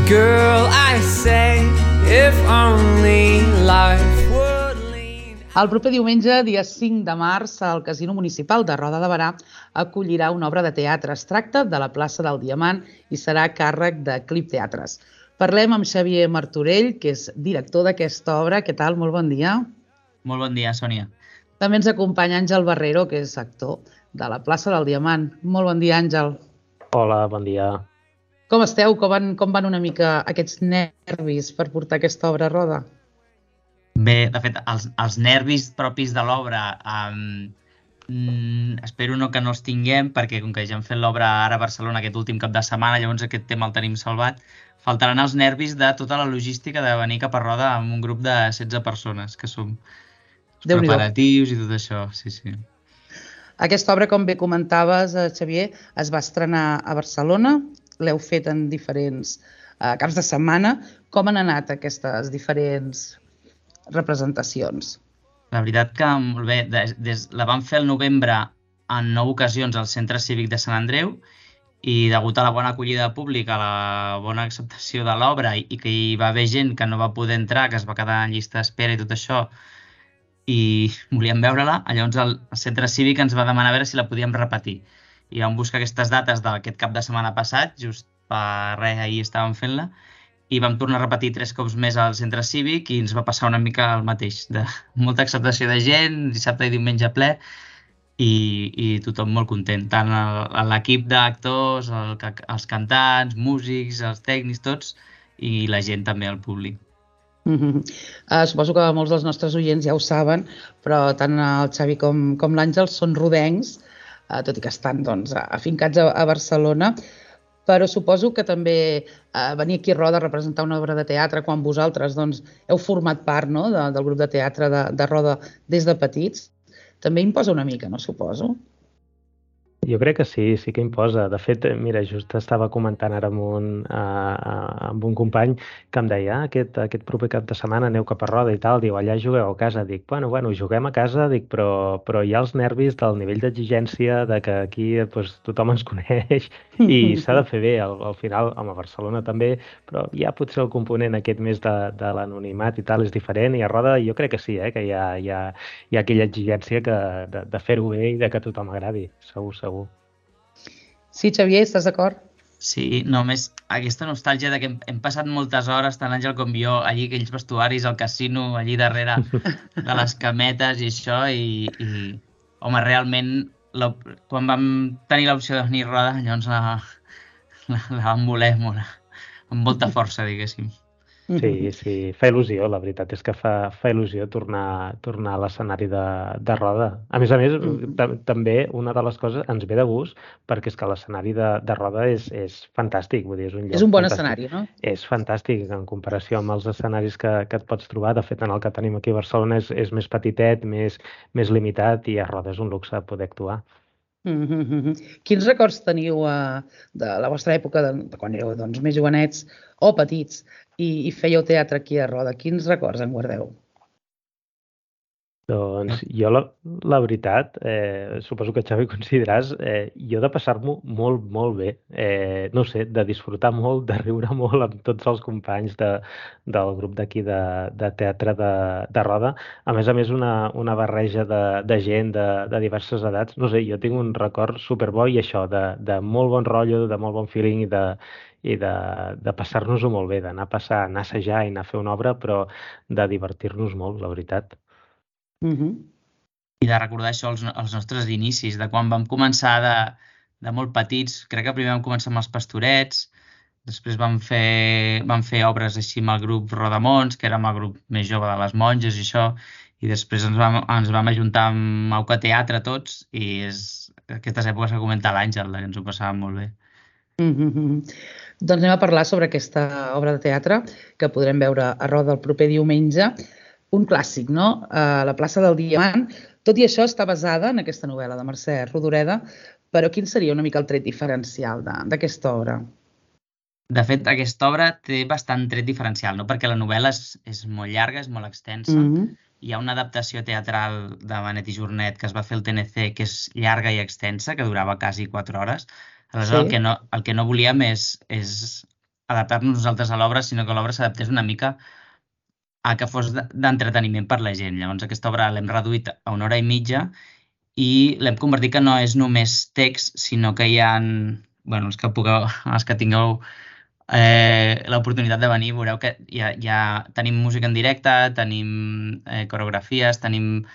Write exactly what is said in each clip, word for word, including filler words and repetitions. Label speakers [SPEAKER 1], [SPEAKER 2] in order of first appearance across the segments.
[SPEAKER 1] Girl, I say, if only life would lean...
[SPEAKER 2] El proper diumenge, dia cinc de març, el Casino Municipal de Roda de Berà acollirà una obra de teatre. Es tracta de la plaça del Diamant i serà a càrrec de Clip Teatres. Parlem amb Xavier Martorell, que és director d'aquesta obra. Què tal? Molt bon dia.
[SPEAKER 3] Molt bon dia, Sònia.
[SPEAKER 2] També ens acompanya Àngel Barrero, que és actor de la plaça del Diamant. Molt bon dia, Àngel.
[SPEAKER 4] Hola, bon dia.
[SPEAKER 2] Com esteu? Com van, com van una mica aquests nervis per portar aquesta obra a roda?
[SPEAKER 3] Bé, de fet, els, els nervis propis de l'obra um, mm, espero no que no els tinguem, perquè com que ja hem fet l'obra ara a Barcelona aquest últim cap de setmana, llavors aquest tema el tenim salvat. Faltaran els nervis de tota la logística de venir cap a Roda amb un grup de setze persones, que som els preparatius i tot això, sí, sí.
[SPEAKER 2] Aquesta obra, com bé comentaves, Xavier, es va estrenar a Barcelona, l'heu fet en diferents eh, caps de setmana. Com han anat aquestes diferents representacions?
[SPEAKER 3] La veritat que molt bé, des, des, la vam fer al novembre en nou ocasions al Centre Cívic de Sant Andreu i degut a la bona acollida pública, a la bona acceptació de l'obra i, i que hi va haver gent que no va poder entrar, que es va quedar en llista d'espera i tot això, i volíem veure-la, llavors el Centre Cívic ens va demanar a veure si la podíem repetir. I vam buscar aquestes dates d'aquest cap de setmana passat, just per res, ahir estàvem fent-la, i vam tornar a repetir tres cops més al Centre Cívic i ens va passar una mica el mateix, de molta acceptació de gent, dissabte i diumenge ple, i, i tothom molt content, tant l'equip d'actors, el, els cantants, músics, els tècnics, tots, i la gent també, el públic.
[SPEAKER 2] Mm-hmm. uh, suposo que molts dels nostres oients ja ho saben, però tant el Xavi com, com l'Àngel són rodencs, uh, tot i que estan doncs, afincats a, a Barcelona, però suposo que també uh, venir aquí a Roda a representar una obra de teatre quan vosaltres doncs, heu format part, no?, de, del grup de teatre de, de Roda des de petits, també imposa una mica, no suposo?
[SPEAKER 4] Jo crec que sí, sí que imposa. De fet, mira, just estava comentant ara amb un, uh, amb un company que em deia ah, aquest, aquest proper cap de setmana aneu cap a Roda i tal, diu, allà jugueu a casa. Dic, bueno, bueno, juguem a casa, dic, però, però hi ha els nervis del nivell d'exigència, de que aquí pues, tothom ens coneix i s'ha de fer bé. Al, al final, home, a Barcelona també, però ja potser el component aquest més de, de l'anonimat i tal és diferent i a Roda jo crec que sí, eh, que hi ha, hi ha, hi ha aquella exigència que, de, de fer-ho bé i de que a tothom agradi, segur, segur.
[SPEAKER 2] Sí, Xavier, estàs d'acord?
[SPEAKER 3] Sí, només aquesta nostàlgia de que hem, hem passat moltes hores, tant Àngel com jo, allí aquells vestuaris, al casino, allí darrere de les cametes i això, i, i home, realment, la, quan vam tenir l'opció de venir a Roda, llavors la, la, la vam voler molt, amb molta força, diguéssim.
[SPEAKER 4] Sí, sí, fa il·lusió, la veritat és que fa, fa il·lusió tornar, tornar a l'escenari de, de Roda. A més a més, també una de les coses ens ve de gust perquè és que l'escenari de, de Roda és, és fantàstic. Vull dir, és un lloc
[SPEAKER 2] és un bon
[SPEAKER 4] fantàstic.
[SPEAKER 2] Escenari, no?
[SPEAKER 4] És fantàstic en comparació amb els escenaris que, que et pots trobar. De fet, en el que tenim aquí a Barcelona és, és més petitet, més, més limitat i a Roda és un luxe poder actuar.
[SPEAKER 2] Mm-hmm. Quins records teniu uh, de la vostra època, de, de quan éreu doncs, més jovenets o petits i, i fèieu teatre aquí a Roda? Quins records en guardeu?
[SPEAKER 4] Doncs jo, la, la veritat, eh, suposo que Xavi consideràs, eh, jo de passar-m'ho molt, molt bé. Eh, no sé, de disfrutar molt, de riure molt amb tots els companys de, del grup d'aquí de, de teatre de, de Roda. A més a més, una, una barreja de, de gent de, de diverses edats. No sé, jo tinc un record superbo i això, de, de molt bon rotllo, de molt bon feeling i de, i de, de passar-nos-ho molt bé, d'anar a passar, anar a assajar i anar a fer una obra, però de divertir-nos molt, la veritat.
[SPEAKER 2] Mm-hmm.
[SPEAKER 3] I de recordar això, els, els nostres inicis, de quan vam començar de, de molt petits. Crec que primer vam començar amb els Pastorets, després vam fer, vam fer obres així amb el grup Rodamons, que érem el grup més jove de les monges i això, i després ens vam, ens vam ajuntar amb Auca Teatre tots, i és aquestes èpoques que comenta l'Àngel, que ens ho passàvem molt bé.
[SPEAKER 2] Mm-hmm. Doncs anem a parlar sobre aquesta obra de teatre que podrem veure a Roda el proper diumenge. Un clàssic, no? Uh, la plaça del Diamant. Tot i això està basada en aquesta novel·la de Mercè Rodoreda, però quin seria una mica el tret diferencial d'aquesta obra?
[SPEAKER 3] De fet, aquesta obra té bastant tret diferencial, no? Perquè la novel·la és, és molt llarga, és molt extensa. Mm-hmm. Hi ha una adaptació teatral de Benet i Jornet que es va fer al T N C, que és llarga i extensa, que durava quasi quatre hores. Aleshores, sí. el, que no, el que no volíem és, és adaptar-nos nosaltres a l'obra, sinó que l'obra s'adaptés una mica a que fos de- d'entreteniment per la gent. Llavors aquesta obra l'hem reduït a una hora i mitja i l'hem convertit que no és només text, sinó que hi ha, bueno, els que pugueu, els que tingueu eh, l'oportunitat de venir, veureu que ja, ja tenim música en directe, tenim eh, coreografies, tenim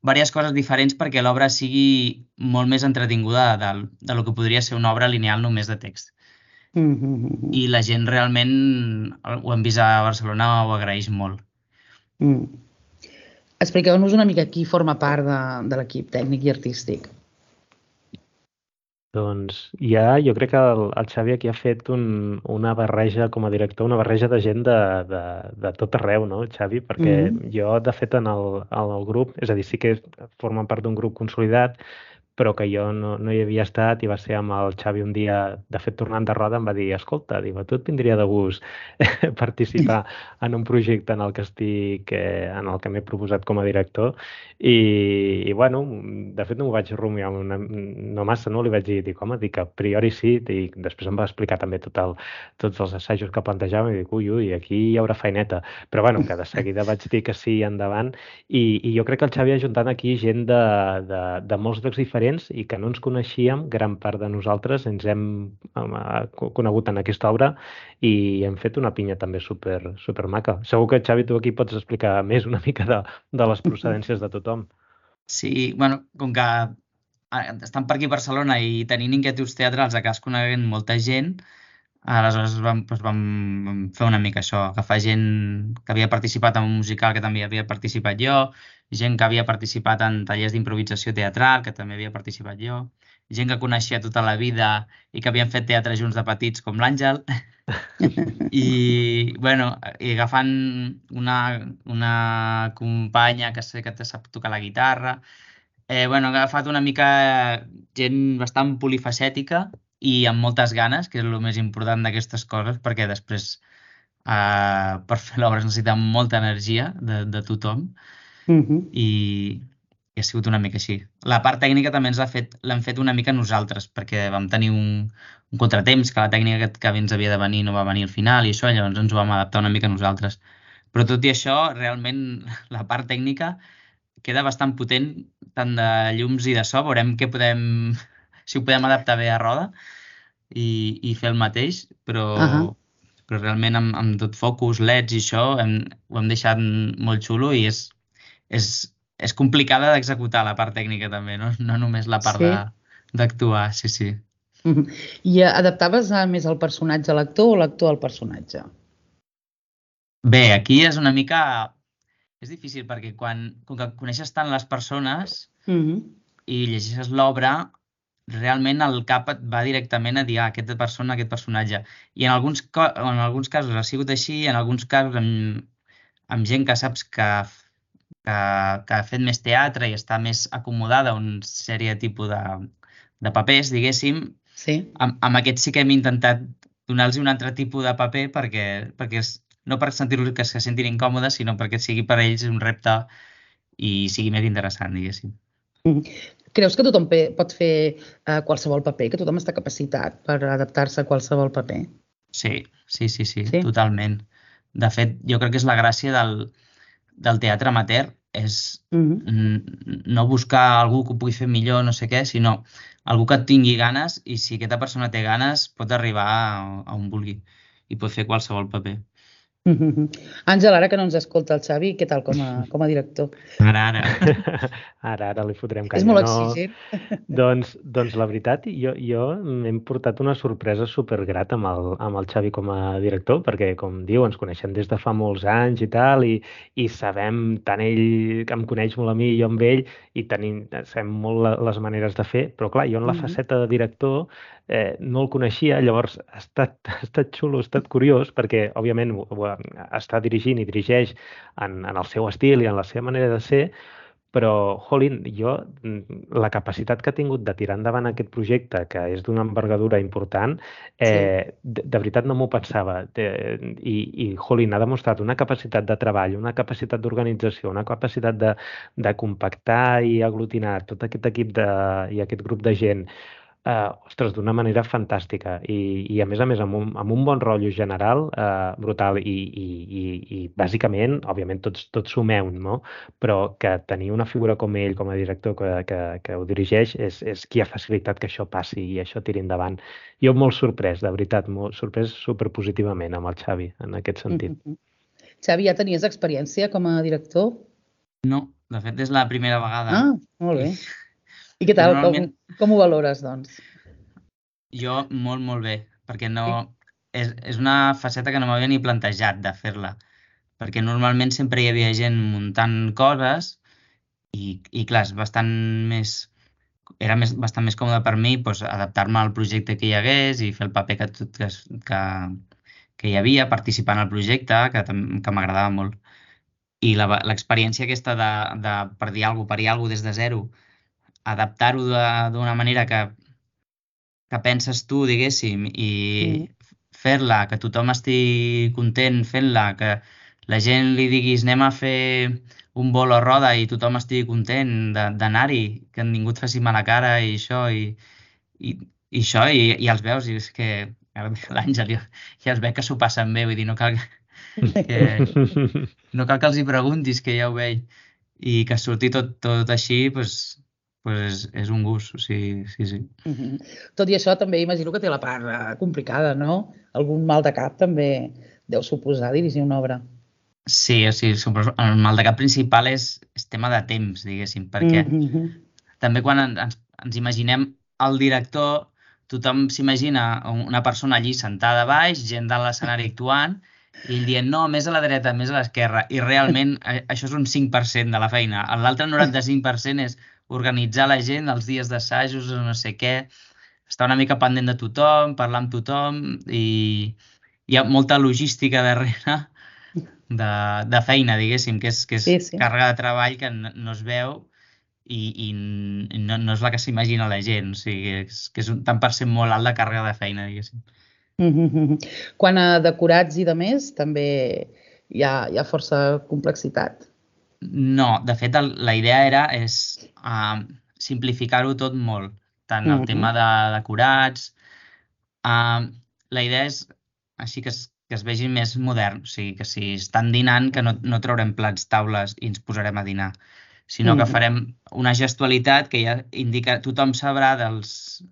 [SPEAKER 3] diverses coses diferents perquè l'obra sigui molt més entretinguda del, de lo que podria ser una obra lineal només de text.
[SPEAKER 2] Mm -hmm.
[SPEAKER 3] I la gent realment, ho hem vist a Barcelona, ho agraeix molt.
[SPEAKER 2] Mm. Expliqueu-nos una mica qui forma part de, de l'equip tècnic i artístic.
[SPEAKER 4] Doncs ja, jo crec que el, el Xavi aquí ha fet un, una barreja, com a director, una barreja de gent de, de, de tot arreu, no, Xavi? Perquè
[SPEAKER 2] Mhm.
[SPEAKER 4] jo, de fet, en el, en el grup, és a dir, sí que formen part d'un grup consolidat, però que jo no, no hi havia estat i va ser amb el Xavi un dia, de fet, tornant de roda, em va dir, escolta, diu, a tu et vindria de gust participar en un projecte en el que estic, eh, en el que m'he proposat com a director i, i bueno, de fet no m'ho vaig rumiar una, no massa, no? Li vaig dir, dic, home, dic, a priori sí, i després em va explicar també tot el, tots els assajos que plantejàvem i dic, ui, ui, aquí hi haurà feineta, però bueno, que de seguida vaig dir que sí endavant i, i jo crec que el Xavi ha ajuntat aquí gent de, de, de molts llocs diferents i que no ens coneixíem, gran part de nosaltres ens hem eh, conegut en aquesta obra i hem fet una pinya també super, super maca. Segur que, Xavi, tu aquí pots explicar més una mica de, de les procedències de tothom.
[SPEAKER 3] Sí, bueno, com que eh, estan per aquí a Barcelona i tenint inquietuds teatrals, acabes coneguent molta gent, aleshores vam, doncs vam, vam fer una mica això, agafar gent que havia participat en un musical que també havia participat jo, gent que havia participat en tallers d'improvisació teatral, que també havia participat jo, gent que coneixia tota la vida i que havien fet teatre junts de petits, com l'Àngel, i, bueno, i agafant una, una companya que sé que te sap tocar la guitarra, eh, bueno, he agafat una mica gent bastant polifacètica i amb moltes ganes, que és el més important d'aquestes coses, perquè després eh, per fer l'obra es necessita molta energia de, de tothom
[SPEAKER 2] Mhm.
[SPEAKER 3] i, i ha sigut una mica així. La part tècnica també ens l'ha fet, l'hem fet una mica nosaltres, perquè vam tenir un, un contratemps, que la tècnica que, que ens havia de venir no va venir al final i això, llavors ens ho vam adaptar una mica nosaltres. Però tot i això, realment, la part tècnica queda bastant potent, tant de llums i de so, veurem què podem, si ho podem adaptar bé a roda i, i fer el mateix, però,
[SPEAKER 2] Ahà.
[SPEAKER 3] però realment amb, amb tot focus, leds i això, hem, ho hem deixat molt xulo i és, és, és complicada d'executar la part tècnica també, no, no només la part
[SPEAKER 2] Sí.
[SPEAKER 3] de- d'actuar, sí, sí.
[SPEAKER 2] Mhm. I eh, adaptaves eh, més el personatge a l'actor o l'actor al personatge?
[SPEAKER 3] Bé, aquí és una mica... És difícil perquè quan, com que coneixes tant les persones
[SPEAKER 2] Mhm.
[SPEAKER 3] i llegeixes l'obra, realment el cap et va directament a dir ah, aquesta persona, aquest personatge. I en alguns, co- en alguns casos ha sigut així, en alguns casos amb, amb gent que saps que, que, que ha fet més teatre i està més acomodada a un sèrie tipus de, de papers, diguéssim,
[SPEAKER 2] Sí.
[SPEAKER 3] amb, amb aquests sí que hem intentat donar-los un altre tipus de paper perquè, perquè és, no per sentir-los que se sentin incòmodes, sinó perquè sigui per a ells un repte i sigui més interessant, diguéssim.
[SPEAKER 2] Mhm. Creus que tothom pe- pot fer eh, qualsevol paper, que tothom està capacitat per adaptar-se a qualsevol paper?
[SPEAKER 3] Sí, sí, sí, sí,
[SPEAKER 2] Sí?
[SPEAKER 3] totalment. De fet, jo crec que és la gràcia del, del teatre amateur, és
[SPEAKER 2] Mhm.
[SPEAKER 3] mm, no buscar algú que ho pugui fer millor, no sé què, sinó algú que tingui ganes i si aquesta persona té ganes pot arribar a, a on vulgui i pot fer qualsevol paper.
[SPEAKER 2] Mhm. Àngel, ara que no ens escolta el Xavi, què tal com a, com a director?
[SPEAKER 3] Ara, ara.
[SPEAKER 4] Ara, ara li fotrem
[SPEAKER 2] És
[SPEAKER 4] canya.
[SPEAKER 2] molt
[SPEAKER 4] No,
[SPEAKER 2] exigent.
[SPEAKER 4] doncs, doncs la veritat, jo, jo m'hem portat una sorpresa supergrata amb el, amb el Xavi com a director, perquè, com diu, ens coneixem des de fa molts anys i tal, i, i sabem, tant ell que em coneix molt a mi i jo amb ell, i tenim, sabem molt la, les maneres de fer, però clar, jo en la
[SPEAKER 2] Mhm.
[SPEAKER 4] faceta de director eh, no el coneixia, llavors ha estat, ha estat xulo, ha estat curiós, perquè, òbviament, ho, ho, està dirigint i dirigeix en, en el seu estil i en la seva manera de ser, però, jolín, jo, mm, la capacitat que ha tingut de tirar endavant aquest projecte, que és d'una envergadura important, eh, de, de veritat no m'ho pensava. De, i, I, jolín, ha demostrat una capacitat de treball, una capacitat d'organització, una capacitat de, de compactar i aglutinar tot aquest equip de, i aquest grup de gent Uh, ostres, d'una manera fantàstica i, i a més a més amb un, amb un bon rotllo general uh, brutal i, i, i, i bàsicament, òbviament tots, tots sumeu, no? Però que tenir una figura com ell, com a director que, que, que ho dirigeix, és, és qui ha facilitat que això passi i això tiri endavant. Jo molt sorprès, de veritat, molt sorprès superpositivament amb el Xavi, en aquest sentit.
[SPEAKER 2] Mm-hmm. Xavi, ja tenies experiència com a director?
[SPEAKER 3] No, de fet és la primera vegada.
[SPEAKER 2] Ah, molt bé. I què tal?
[SPEAKER 3] Normalment...
[SPEAKER 2] Com, com ho valores, doncs?
[SPEAKER 3] Jo molt, molt bé, perquè no... És, és una faceta que no m'havia ni plantejat de fer-la, perquè normalment sempre hi havia gent muntant coses i, i clar, és bastant més... Era més, bastant més còmode per mi doncs, adaptar-me al projecte que hi hagués i fer el paper que, que, que, que hi havia, participar en el projecte, que, que m'agradava molt. I l'experiència aquesta de, de per dir alguna cosa, per dir alguna cosa des de zero, adaptar-ho d'una manera que, que penses tu, diguéssim, i mm. fer-la, que tothom estigui content fent-la, que la gent li diguis anem a fer un vol o roda i tothom estigui content d'anar-hi, que ningú et faci mala cara i això, i, i, i això, i, i els veus, i és que l'Àngel ja, ja es veu que s'ho passen bé, vull dir, no cal que, no cal que els hi preguntis, que ja ho veig, i que surti tot, tot així, doncs, pues és, és un gust, o sigui, sí, sí.
[SPEAKER 2] Mm-hmm. Tot i això també imagino que té la part complicada, no? Algun mal de cap també deu suposar dirigir una obra.
[SPEAKER 3] Sí, o sigui, el mal de cap principal és, és tema de temps, diguéssim, perquè mm-hmm. també quan ens, ens imaginem el director, tothom s'imagina una persona allí sentada a baix, gent de l'escenari actuant, i ell dient, no, més a la dreta, més a l'esquerra, i realment això és un cinc per cent de la feina. L'altre noranta-cinc per cent és organitzar la gent, els dies d'assajos, no sé què, estar una mica pendent de tothom, parlar amb tothom, i hi ha molta logística darrere de, de feina, diguéssim, que és, que és sí, sí. càrrega de treball que no, no es veu i, i no, no és la que s'imagina la gent, o sigui, és, que és un tant per cent molt alt de càrrega de feina, diguéssim.
[SPEAKER 2] Mm-hmm. Quan a decorats i de més, també hi ha, hi ha força complexitat?
[SPEAKER 3] No, de fet, el, la idea era és uh, simplificar-ho tot molt, tant el mm-hmm. tema de decorats. Uh, la idea és així que es, que es vegi més modern, o sigui, que si estan dinant, que no, no traurem plats, taules i ens posarem a dinar, sinó mm-hmm. que farem una gestualitat que ja indica, tothom sabrà dels...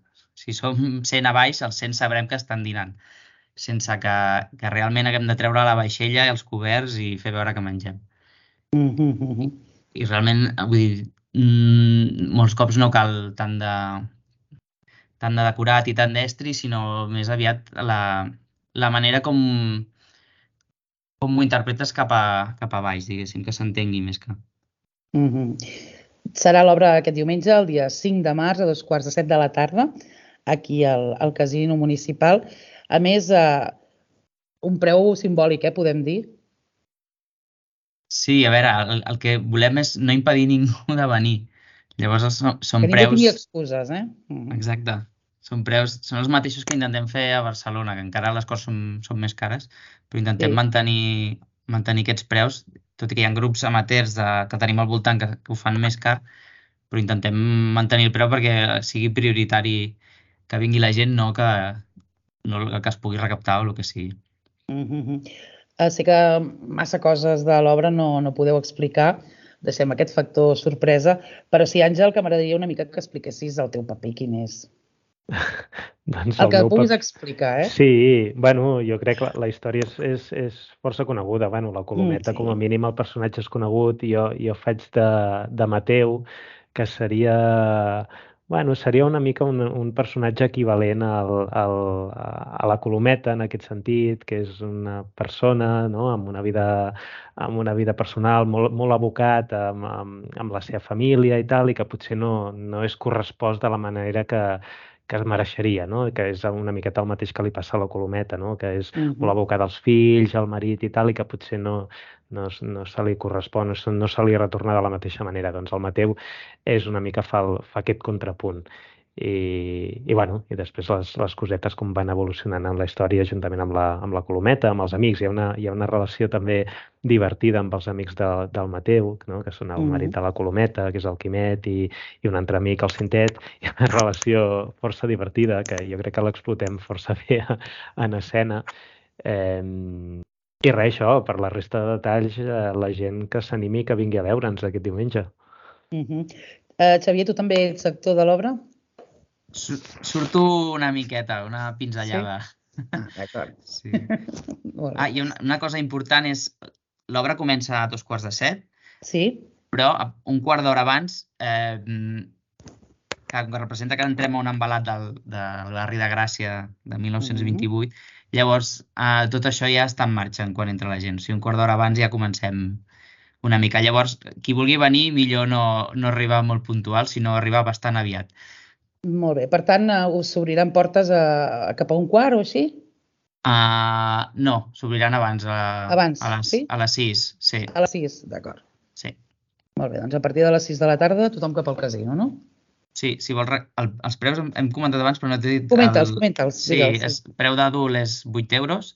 [SPEAKER 3] Si som cent a baix, els cent sabrem que estan dinant, sense que, que realment haguem de treure la vaixella i els coberts i fer veure que mengem.
[SPEAKER 2] Mm-hmm.
[SPEAKER 3] I, I realment, vull dir, mmm, molts cops no cal tant de, tant de decorat i tant d'estri, sinó més aviat la, la manera com, com ho interpretes cap a, cap a baix, diguéssim, que s'entengui més que...
[SPEAKER 2] Mm-hmm. Serà l'obra aquest diumenge, el dia cinc de març, a dos quarts de set de la tarda, aquí al, al Casino Municipal. A més, eh, un preu simbòlic, eh, podem dir?
[SPEAKER 3] Sí, a veure, el, el que volem és no impedir ningú de venir. Llavors són, són
[SPEAKER 2] que ningú
[SPEAKER 3] preus...
[SPEAKER 2] tingui excuses, eh?
[SPEAKER 3] Mm-hmm. Exacte. Són preus, són els mateixos que intentem fer a Barcelona, que encara les coses són, són més cares, però intentem sí. mantenir, mantenir aquests preus, tot i que hi ha grups amateurs de, que tenim al voltant que, que ho fan més car, però intentem mantenir el preu perquè sigui prioritari que vingui la gent, no que, no que es pugui recaptar o el que sigui.
[SPEAKER 2] Mm-hmm. Sé que massa coses de l'obra no, no podeu explicar, deixem aquest factor sorpresa, però sí, Àngel, que m'agradaria una mica que expliquessis el teu paper, quin és.
[SPEAKER 4] Doncs
[SPEAKER 2] el, el que puguis
[SPEAKER 4] pap...
[SPEAKER 2] explicar, eh?
[SPEAKER 4] Sí, bueno, jo crec que la, la història és, és, és força coneguda. Bueno, la Colometa, mm, sí. com a mínim, el personatge és conegut, i jo, jo faig de, de Mateu, que seria... Bueno, seria una mica un, un personatge equivalent al, al, a la Colometa, en aquest sentit, que és una persona, no?, amb una vida, amb una vida personal molt, molt abocat amb, amb, amb la seva família i tal, i que potser no, no és correspost de la manera que, que es mereixeria, no?, que és una miqueta el mateix que li passa a la Colometa, no?, que és mm-hmm. molt abocat als fills, al marit i tal, i que potser no... No, no se li correspon, no se li retorna de la mateixa manera. Doncs el Mateu és una mica fa, el, fa aquest contrapunt. i, i, bueno, i després les, les cosetes com van evolucionant en la història juntament amb la, amb la Colometa, amb els amics. Hi ha una, hi ha una relació també divertida amb els amics de, del Mateu, no? Que són el marit de la Colometa, que és el Quimet, i, i un altre amic, el Cintet. Hi ha una relació força divertida que jo crec que l'explotem força bé en escena. Eh, I res, això, per la resta de detalls, eh, la gent que s'animi que vingui a veure'ns aquest diumenge.
[SPEAKER 2] Uh -huh. uh, Xavier, tu també ets actor de l'obra?
[SPEAKER 3] Surto una miqueta, una pinzellada.
[SPEAKER 2] Sí? Ah, d'acord.
[SPEAKER 3] Sí. Ah, i una, una cosa important és, l'obra comença a dos quarts de set,
[SPEAKER 2] sí,
[SPEAKER 3] però un quart d'hora abans, eh, que representa que entrem a un embalat del, del barri de Gràcia de mil nou-cents vint-i-vuit, mm-hmm. Llavors eh, tot això ja està en marxa quan entra la gent. O sigui, un quart d'hora abans ja comencem una mica. Llavors, qui vulgui venir, millor no, no arribar molt puntual, sinó arribar bastant aviat.
[SPEAKER 2] Molt bé. Per tant, us s'obriran portes a, a cap a un quart o així?
[SPEAKER 3] Uh, no, s'obriran abans. A,
[SPEAKER 2] abans,
[SPEAKER 3] a les,
[SPEAKER 2] sí?
[SPEAKER 3] A les sis, sí.
[SPEAKER 2] A les sis, d'acord.
[SPEAKER 3] Sí.
[SPEAKER 2] Molt bé, doncs a partir de les sis de la tarda tothom cap al casino, no?
[SPEAKER 3] Sí, si vols... El, els preus hem, hem comentat abans, però no t'he dit...
[SPEAKER 2] Comenta'ls, el... comenta'ls.
[SPEAKER 3] Sí, és, preu d'adult és vuit euros.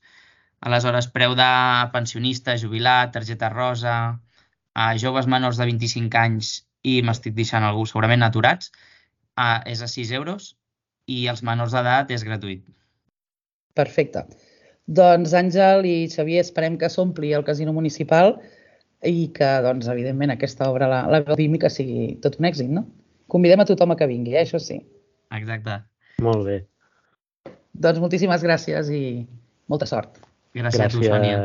[SPEAKER 3] Aleshores, preu de pensionista, jubilat, targeta rosa, a joves menors de vint-i-cinc anys i m'estic deixant algú segurament aturats, Uh, és a sis euros i els menors d'edat és gratuït.
[SPEAKER 2] Perfecte. Doncs Àngel i Xavier, esperem que s'ompli el casino municipal i que, doncs, evidentment, aquesta obra la, la gaudim i que sigui tot un èxit, no? Convidem a tothom a que vingui, eh? Això sí.
[SPEAKER 3] Exacte.
[SPEAKER 4] Molt bé.
[SPEAKER 2] Doncs moltíssimes gràcies i molta sort.
[SPEAKER 3] Gràcies, gràcies. a tu, Sònia.